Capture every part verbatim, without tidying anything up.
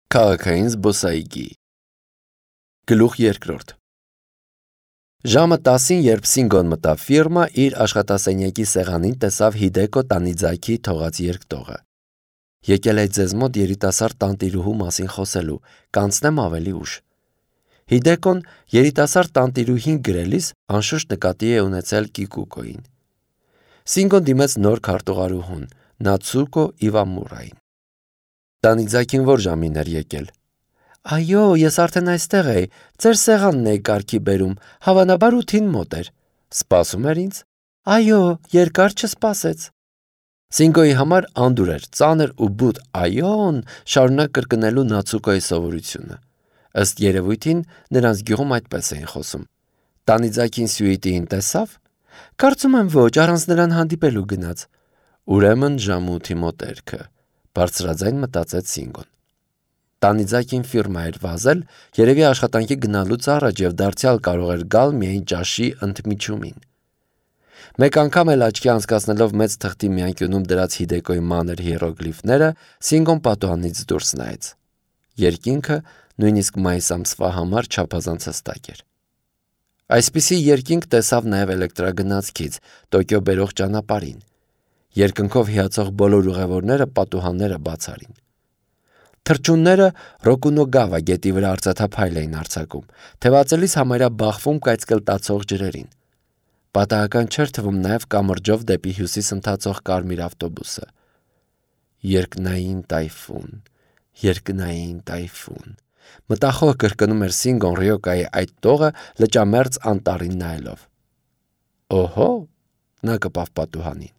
Քաղաքային զբոսայգի Գլուխ երկրորդ Ժամը տասին, երբ Սինգոն մտավ ֆիրմա, իր աշխատասենյակի սեղանին տեսավ Հիդեկո Տանիձակի թողած երկտողը։ Եկել է ձեզ մոտ երիտասարդ տանտիրուհու մասին խոսելու, կանցնեմ ավելի ուշ։ Հիդեկոն երիտասարդ տանտիրուհին գրելիս անշուշտ նկատի է ունեցել Կիկուկոին։ Սինգոն դիմեց նոր քարտուղարուհուն, Նացուկո Իվամուրային։ Տանիձակին որ ժամին էր եկել։ Այո, ես արդեն այստեղ էի, ձեր սեղանն էի կարգի բերում, հավանաբար ութին մոտ էր։ Սպասում էր ինձ։ Այո, երկար չսպասեց։ Սինգոյի համար անդուր էր, ծանր ու բութ այոն շարունակ կրկնելու Նացուկոյի սովորությունը։ Ըստ երևույթին նրանց գյուղում այդպես էին խոսում։ Տանիձակին Սյուիտիին տեսավ։ Կարծում եմ ոչ, առանց նրան հանդիպելու գնաց։ Ուրեմն ժամը ութի մոտերքը, բարձրաձայն մտածեց Սինգոն։ Տանիձակին ֆիրմա էր վազել, երևի աշխատանքի գնալուց առաջ եւ դարձյալ կարող էր գալ միայն ճաշի ընդմիջումին։ Մեկ անգամ էլ աչքի անցկացնելով մեծ թղթի մի անկյունում դրած Հիդեկոյի մանր հիերոգլիֆները, Սինգոն պատուհանից դուրս նայեց։ Երկինքը նույնիսկ մայիս ամսվա համար չափազանց հստակ էր։ Այսպիսի երկինք տեսավ նաև էլեկտրագնացքից Տոկիո բերող ճանապարհին։ Երկնքով հիացող բոլոր ուղևորները պատուհանները բաց արին։ Թռչունները Ռոկունոգավա գետի վրա արծաթափայլ էին արձակում, թևածելիս համարյա բախվում կայծկլտացող ջրերին։ Պատահական չէր թվում նաև կամրջով դեպի հյուսիս ընթացող կարմիր ավտոբուսը։ Երկնային տայֆուն, երկնային տայֆուն։ Մտախոհ կրկնում էր Սինգոն Ռյոկայի այդ տողը լճամերձ անտառին նայելով։ Օհո, նա կպավ պատուհանին։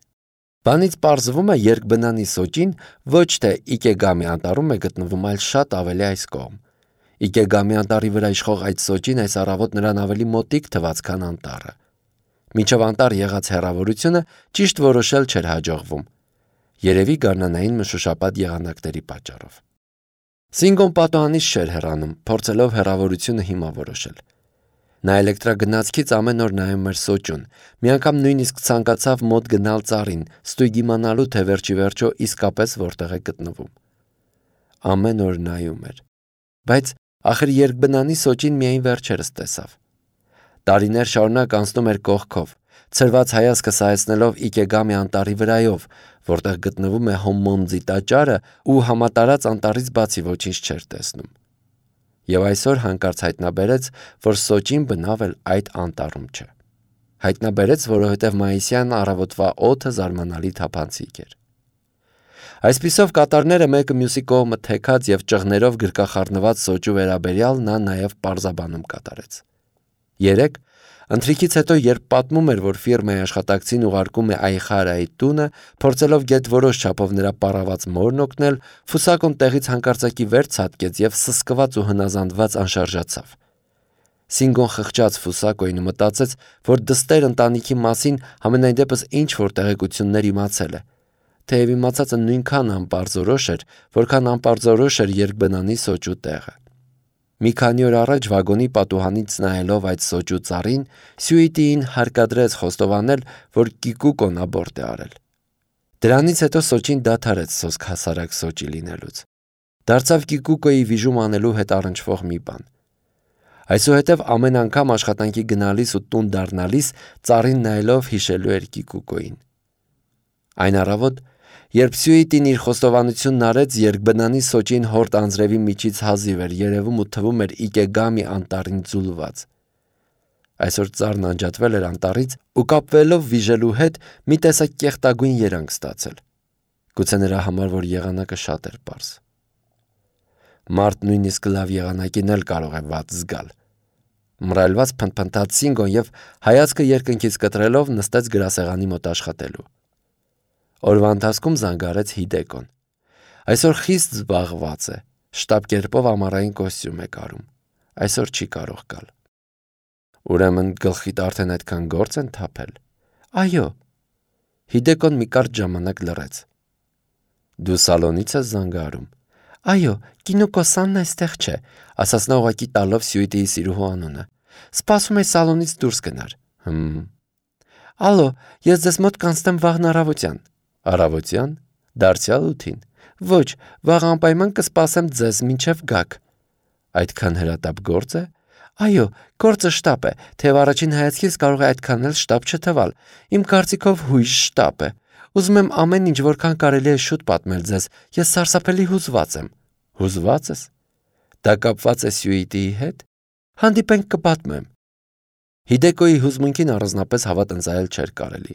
Բանից պարզվում է, երկբնանի Սոճին ոչ թե Իկեգամի անտառում է գտնվում, այլ շատ ավելի այս կողմ։ Իկեգամի անտառի վրա իշխող այդ Սոճին այս առավոտ նրան ավելի մոտիկ թվաց, քան անտառը։ Մինչև անտառ եղած հեռավորությունը ճիշտ որոշել չէր հաջողվում։ Երևի գարնանային մշուշապատ եղանակների պատճառով։ Սինգոն պատուհանից չէր հեռանում, փորձելով հեռավորությունը հիմա որոշել։ Նա էլեկտրագնացքից ամեն օր նայում էր Սոճուն, մի անգամ նույնիսկ ցանկացավ մոտ գնալ ծառին, ստույգ իմանալու, թե վերջի վերջո իսկապես որտեղ է գտնվում։ Ամեն օր նայում էր։ Բայց ախր երկբնանի Սոճին միայն վերջերս տեսավ։ Տարիներ շարունակ անցնում էր կողքով, ցրված հայացքը սայեցնելով Իկեգամի անտառի վրայով, որտեղ գտնվում է Հոմմոնձի տաճարը ու համատարած անտառից բացի ոչինչ չէր տեսնում։ Եվ այսօր հանկարծ հայտնաբերեց, որ Սոճին բնավ էլ այդ անտառում չէ։ Հայտնաբերեց, որովհետև մայիսյան առավոտվա օդը զարմանալի թափանցիկ էր։ Այսպիսով կատարները մեկը մյուսի կողմը թեքած եւ ճղներով գրկախառնված Սոճու վերաբերյալ նա նաեւ պարզաբանում կատարեց։ Երեկ ընթրիքից հետո, երբ պատմում էր, որ ֆիրմայի աշխատակցին ուղարկում է Այխարայի տունը, փորձելով գետ որոշ չափով նրա պառաված մորն օգնել, Ֆուսակոն տեղից հանկարծակի վեր ցատկեց եւ սսկված ու հնազանդված անշարժացավ։ Սինգոն խղճաց Ֆուսակոյին ու մտածեց, որ դստեր ընտանիքի մասին համենայն դեպս ինչ որ տեղեկություններ իմացել է, թեև իմացածը նույնքան անպարզորոշ էր, որքան անպարզորոշ էր երկբնանի Սոճու տեղը։ Մի քանի օր առաջ վագոնի պատուհանից նայելով այդ Սոճու ծառին, Սյուիտիին հարկադրեց խոստովանել, որ Կիկուկոն աբորտ է արել։ Դրանից հետո Սոճին դադարեց սոսկ հասարակ Սոճի լինելուց։ Դարձավ Կիկուկոյի վիժում անելու հետ առնչվող մի բան։ Այսուհետև ամեն անգամ աշխատանքի գնալիս ու տուն դառնալիս ծառին նայելով հիշելու էր Կիկուկոյին։ Այն առավոտ, երբ Սյուիտին իր խոստովանությունն արեց, երկբնանի Սոճին հորտ անձրևի միջից հազիվ էր երևում ու թվում էր Իկեգամի անտառին ձուլված։ Այսօր ծառն անջատվել էր անտառից ու կապվելով վիժելու հետ մի տեսակ կեղտագույն երանգ ստացել։ Գուցե նրա համար, որ եղանակը շատ էր պարզ։ Մարդ նույնիսկ լավ եղանակին էլ կարող է վատ զգալ։ Մռայլված փնթփնթաց Սինգոն եւ հայացքը երկնքից կտրելով նստեց գրասեղանի մոտ աշխատելու։ Օրվա ընթացքում զանգարեց Հիդեկոն։ Այսօր խիստ զբաղված է, շտապ կերպով ամառային կոստյում է կարում։ Այսօր չի կարող գալ։ Ուրեմն գլխիդ արդեն այդքան գործ են թափել։ Այո։ Հիդեկոն մի կարճ ժամանակ լռեց։ Դու սալոնից ես զանգարում։ Այո, Կինոկոսանն այստեղ չէ, ասաց նա ուղղակի տալով Սյուիտիի սիրուհու անունը։ Սպասում է սալոնից դուրս գնար։ Հմ։ Ալո, ես ձեզ մոտ կանցնեմ վաղն առավոտյան։ Առավոտյան, դարձյալ ութին։ Ոչ, վաղ անպայման կսպասեմ ձեզ մինչև գաք։ Այդքան հրատապ գործ է։ Այո, գործը շտապ է, թեև առաջին հայացքից կարող է այդքան էլ շտապ չթվալ։ Իմ կարծիքով հույժ շտապ է։ Ուզում եմ ամեն ինչ որքան կարելի է շուտ պատմել ձեզ։ Ես սարսափելի հուզված եմ։ Հուզված ես։ Դա կապված է Սյուիտիի հետ։ Հանդիպենք կպատմեմ։ Հիդեկոյի հուզմունքին առանձնապես հավատ ընծայել չէր կարելի,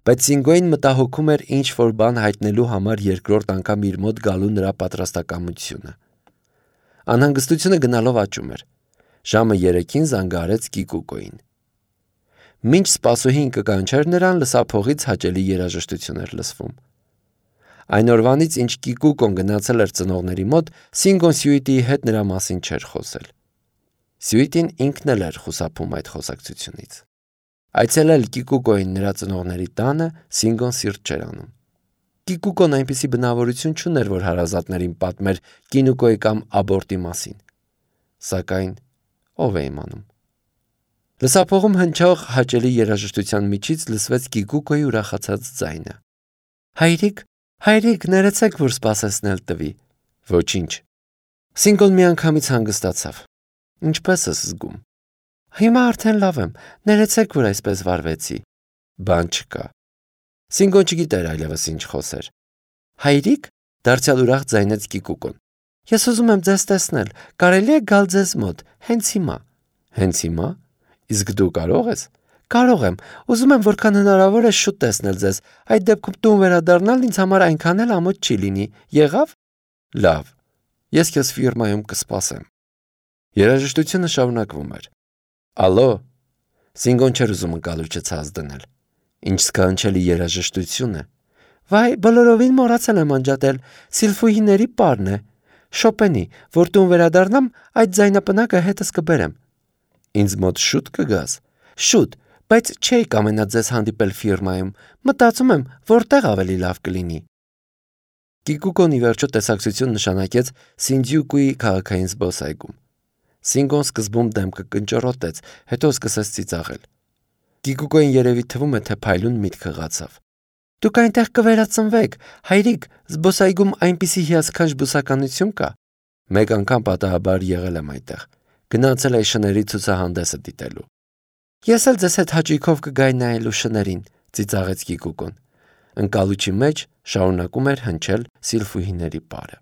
բայց Սինգոին մտահոգում էր ինչ-որ բան հայտնելու համար երկրորդ անգամ իր մոտ գալու նրա պատրաստակամությունը։ Անհանգստությունը գնալով աճում էր։ Ժամը երեքին զանգահարեց Կիկուկոին։ Մինչ սպասուհին կկանչեր նրան, լսափողից հաճելի երաժշտություն էր լսվում։ Այն օրվանից, ինչ Կիկուկոն գնացել էր ծնողների մոտ, Սինգոն Սյուիտիի հետ նրա մասին չէր խոսել։ Սյուիտին ինքն էլ էր խուսափում այդ խոսակցությունից։ Այցելել Կիկուկոին նրա ծնողների տանը Սինգոն սիրտ չէր անում։ Կիկուկոն այնպիսի բնավորություն չուներ, որ հարազատներին պատմեր Կինուկոյի կամ աբորտի մասին։ Սակայն ով է իմանում։ Լսափողում հնչող հաճելի երաժշտության միջից լսվեց Կիկուկոյի ուրախացած ձայնը։ Հայրիկ, հայրիկ, ներեցեք, որ սպասեցնել տվի։ Ոչինչ։ Սինգոն միանգամից հանգստացավ։ Ինչպես ես զգում։ Հիմա արդեն լավ եմ, ներեցեք, որ այսպես վարվեցի։ Բան չկա։ Սինգոն չգիտեր այլևս ինչ խոսեր։ Հայրիկ, դարձյալ ուրախ ձայնեց Կիկուկոն։ Ես ուզում եմ ձեզ տեսնել, կարելի է գալ ձեզ մոտ, հենց հիմա։ Հենց հիմա։ Իսկ դու կարող ես։ Կարող եմ, ուզում եմ որքան հնարավոր է շուտ տեսնել ձեզ, այդ դեպքում տուն վերադառնալ ինձ համար այնքան էլ ամոթ չի լինի։ Եղավ։ Լավ։ Ես քեզ ֆիրմայում կսպասեմ։ Երաժշտությունը շարունակվում էր։ Ալո։ Սինգոն չէր ուզում ընկալուչը ցած դնել։ Ինչ սքանչելի երաժշտություն է։ Վայ, բոլորովին մոռացել եմ անջատել, Սիլֆուհիների պարն է։ Շոպենի, որ տուն վերադառնամ, այդ ձայնապնակը հետս կբերեմ։ Ինձ մոտ շուտ կգաս։ Շուտ, բայց չէի կամենա ձեզ հանդիպել ֆիրմայում։ Մտածում եմ, որտեղ ավելի լավ կլինի։ Կիկուկոն ի վերջո տեսակցություն նշանակեց Սինդյուկուի քաղաքային զբոսայգում։ Սինգոն սկզբում դեմքը կնճռոտեց, հետո սկսեց ծիծաղել։ Կիկուկոին երևի թվում է, թե փայլուն միտք հղացավ։ Դուք այնտեղ կվերածնվեք, հայրիկ, զբոսայգում այնպիսի հիասքանչ բուսականություն կա։ Մեկ անգամ պատահաբար եղել եմ այնտեղ։ Գնացել էի շների ցուցահանդեսը դիտելու։ Ես էլ ձեզ հետ հաճույքով կգայի նայելու շներին, ծիծաղեց Կիկուկոն։ Ընկալուչի մեջ շարունակում էր հնչել Սիլֆուհիների պարը։